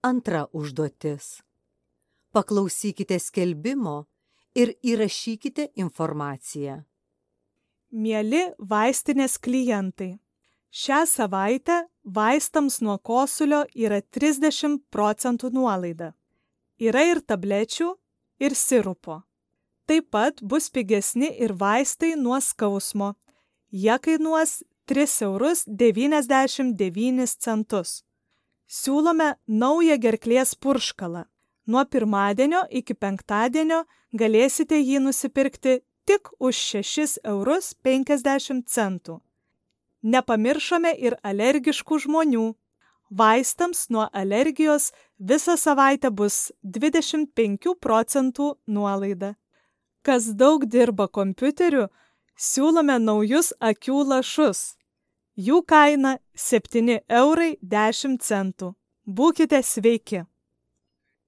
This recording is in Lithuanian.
Antra užduotis. Paklausykite skelbimo ir įrašykite informaciją. Mieli vaistinės klientai, šią savaitę vaistams nuo kosulio yra 30% nuolaida. Yra ir tablečių, ir sirupo. Taip pat bus pigesni ir vaistai nuo skausmo. Jie kainuos 3,99 €. Siūlome naują gerklės purškalą. Nuo pirmadienio iki penktadienio galėsite jį nusipirkti tik už 6,50 €. Nepamiršome ir alergiškų žmonių. Vaistams nuo alergijos visą savaitę bus 25% nuolaida. Kas daug dirba kompiuteriu, siūlome naujus akių lašus. Jų kaina 7,10 €. Būkite sveiki!